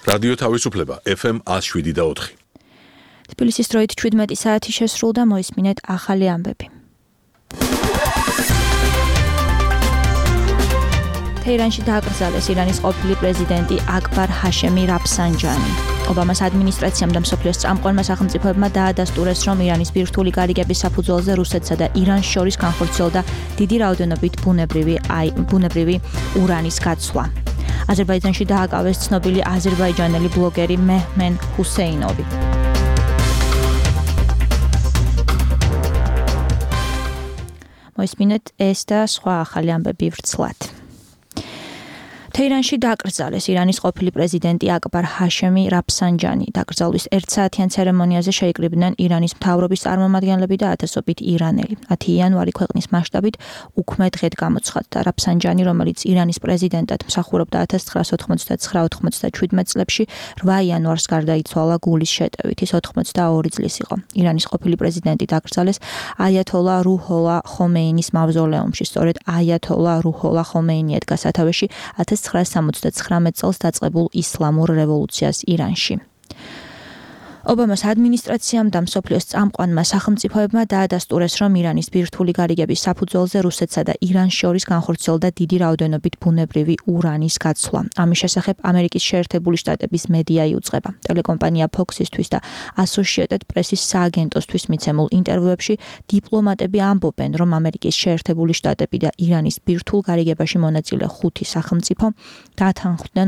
რადიო თავისუფლება FM 107.4. თბილისის დროით 17 საათი შესრულდა, მოისმინეთ ახალი ამბები. თეირანში დააკრძალეს ირანის ყოფილი პრეზიდენტი აკბარ ჰაშემი რაფსანჯანი. ობამას ადმინისტრაციამ და მსოფლიოს წამყვანმა სახელმწიფოებმა დაადასტურეს, რომ ირანის ბირთვული გარიგების საფუძველზე რუსეთსა და ირანს შორის განხორციელდა დიდი რაოდენობით ბუნებრივი ურანის გაცვლა. აზერბაიჯანში დააკავეს ცნობილი აზერბაიჯანელი ბლოგერი მეჰმენ ჰუსეინოვი. მოისმინეთ ეს და სხვა ახალი ამბები ვრცლად. თეირანში დააკრძალეს ირანის ყოფილი პრეზიდენტი აკბარ ჰაშემი რაფსანჯანი. დაკრძალვის 1 საათიან ცერემონიაზე შეიკრიბნენ ირანის მთავრობის წარმომადგენლები და ათასობით ირანელი. 10 იანვარი ქვეყნის მასშტაბით უქმე დღედ გამოცხადდა. რაფსანჯანი, რომელიც ირანის პრეზიდენტად მსახურობდა 1999-97 წლებში, 8 იანვარს გარდაიცვალა გულის შეტევით. ის 82 წლის იყო. ირანის ყოფილი პრეზიდენტი დაკრძალეს აიათოლა რუჰოლა ხომეინის მავზოლეუმში. სწორედ აიათოლა რუჰოლა ხომეინი ედგა სათავეში 1979 წელს დაწყებულ ისლამურ რევოლუციას ირანში. ობამას ადმინისტრაციამ და მსოფლიოს წამყვანმა სახელმწიფოებმა დაადასტურეს, რომ ირანის ბირთვული გარიგების საფუძველზე რუსეთსა და irans შორის განხორციელდა დიდი რაოდენობით ბუნებრივი ურანის გაცვლა. ამის შესახებ ამერიკის შეერთებული შტატების მედია იუწყება. ტელეკომპანია Fox-ისთვის და Associated Press-ის სააგენტოსთვის მიცემულ ინტერვიუებში დიპლომატები ამბობენ, რომ ამერიკის შეერთებული შტატები და ირანის ბირთვულ გარიგებაში მონაწილე 5 სახელმწიფო დათანხმდნენ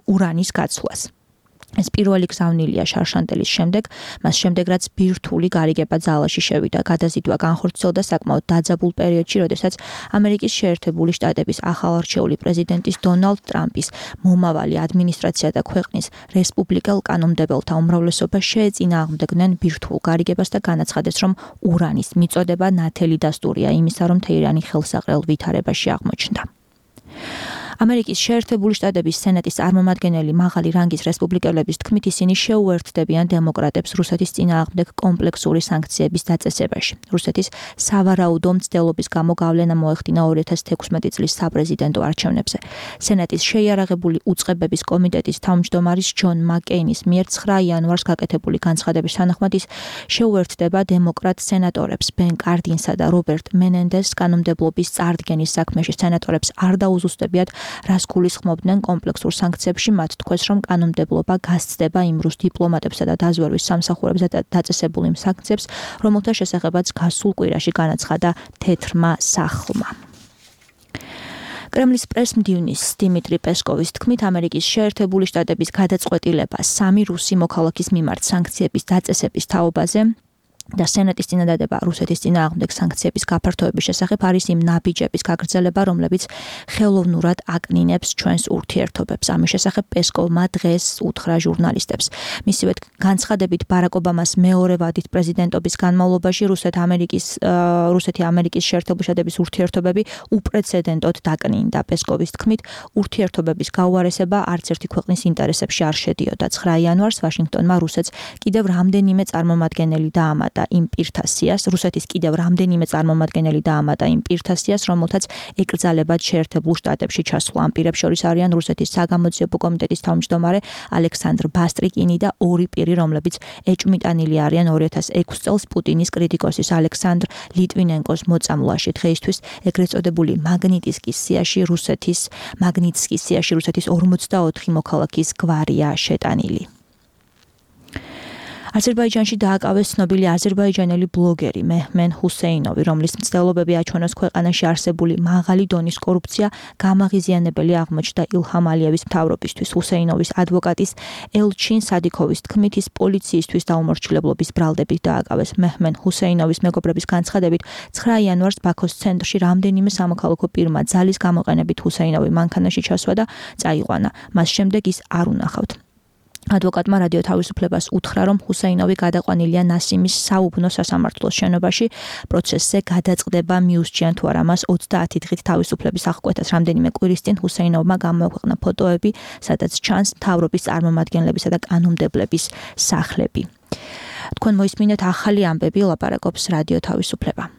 ურანის გაცვლას. ეს პირველი გზავნილია შარშანტელის შემდეგ, მას შემდეგ რაც ბირთვული გარიგება ძალაში შევიდა. გადაზიდვა განხორციელდა საკმაოდ დაძაბულ პერიოდში, როდესაც ამერიკის შეერთებული შტატების ახალარჩეული პრეზიდენტის დონალდ ტრამპის მომავალი ადმინისტრაცია და ქვეყნის რესპუბლიკელ კანონმდებელთა უმრავლესობა შეეწინააღმდეგნენ ბირთვულ გარიგებას და განაცხადეს, რომ ურანის მიწოდება ნათელი დასტურია იმისა, რომ თეირანი ხელსაყრელ ვითარებაში აღმოჩნდა. ამერიკის შეერთებული შტატების სენატის წარმომადგენელი მაღალი რანგის რესპუბლიკელების თქმით, ისინი შეუერთდებიან დემოკრატებს რუსეთის წინააღმდეგ კომპლექსური სანქციების დაწესებაში. რუსეთის სავარაუდო მცდელობის გამო გავლენა მოეხდინა 2016 წლის საპრეზიდენტო არჩევნებზე. სენატის შეიარაღებული უწყებების კომიტეტის თავმჯდომარის ჯონ მაკეინის მიერ 9 იანვარს გაკეთებული განცხადების თანახმად ის შეუერთდება დემოკრატ სენატორებს ბენ კარდინსა და რობერტ მენენდესს კანონმდებლობის წარდგენის საქმეში. სენატორებს არ დაუზუსტებიათ, რას გულისხმობდნენ კომპლექსურ სანქციებში. მათ თქვეს, რომ კანონმდებლობა გასცდება იმ რუს დიპლომატებსა და დაზვერვის სამსახურებზე დაწესებულ იმ სანქციებს, რომელთა შესახებაც გასულ კვირაში განაცხადა თეთრმა სახლმა. კრემლის პრესმდივნის დიმიტრი პესკოვის თქმით, ამერიკის შეერთებული შტატების გადაწყვეტილება 3 რუსი მოქალაქის მიმართ სანქციების დაწესების თაობაზე და სენატის წინადადება რუსეთის წინააღმდეგ სანქციების გაფართოების შესახებ არის იმ ნაბიჯების გაგრძელება, რომლებიც ხელოვნურად აკნინებს ჩვენს ურთიერთობებს. ამის შესახებ პესკოვმა დღეს უთხრა ჟურნალისტებს. მისივე განცხადებით ბარაკ ობამას მეორე ვადით პრეზიდენტობის განმავლობაში რუსეთი-ამერიკის შეერთებული შტატების ურთიერთობები უპრეცედენტოდ დაკნინდა. პესკოვის თქმით, ურთიერთობების გაუარესება არც ერთი ქვეყნის ინტერესებში არ შედიოდა. 9 იანვარს ვაშინგტონმა რუსეთს კიდევ რამდენიმე წარმომადგენელი დაამატა იმ პირთა სიას, რომელთაც ეკრძალებათ შეერთებულ შტატებში ჩასვლა. ამ პირებს შორის არიან რუსეთის საგამოძიებო კომიტეტის თავმჯდომარე ალექსანდრ ბასტრიკინი და 2 პირი, რომლებიც ეჭვმიტანილი არიან 2006 წელს პუტინის კრიტიკოსის ალექსანდრ ლიტვინენკოს მოწამვლაში. დღეისთვის ეგრეთ წოდებული მაგნიტსკის სიაში რუსეთის 44 მოქალაქის გვარია შეტანილი. აზერბაიჯანში დააკავეს ცნობილი აზერბაიჯანელი ბლოგერი მეჰმენ ჰუსეინოვი, რომლის მცდელობები აჩვენოს ქვეყანაში არსებული მაღალი დონის კორუფცია გამაღიზიანებელი აღმოჩნდა ილჰამ ალიევის მთავრობისთვის. ჰუსეინოვის ადვოკატის ელჩინ სადიქოვის თქმით, ის პოლიციისთვის დაუმორჩილებლობის ბრალდებით დააკავეს. მეჰმენ ჰუსეინოვის მეგობრების განცხადებით, 9 იანვარს ბაქოს ცენტრში რამდენიმე სამოქალაქო პირმა ძალის გამოყენებით ჰუსეინოვი მანქანაში ჩასვა და წაიყვანა. მას შემდეგ ის არ უნახავთ. ადვოკატმა რადიო თავისუფლებას უთხრა, რომ ჰუსეინოვი გადაყვანილია ნასიმის საუბნო სასამართლოს შენობაში. პროცესზე გადაწყდება მიუსჩიან თუ არა მას 30 დღით თავისუფლების აღკვეთას. რამდენიმე კვირის წინ ჰუსეინოვმა გამოაქვეყნა ფოტოები, სადაც ჩანს მთავრობის წარმომადგენლებისა და კანონმდებლების სახლები. თქვენ მოისმინეთ ახალი ამბები, ლაპარაკობს რადიო თავისუფლება.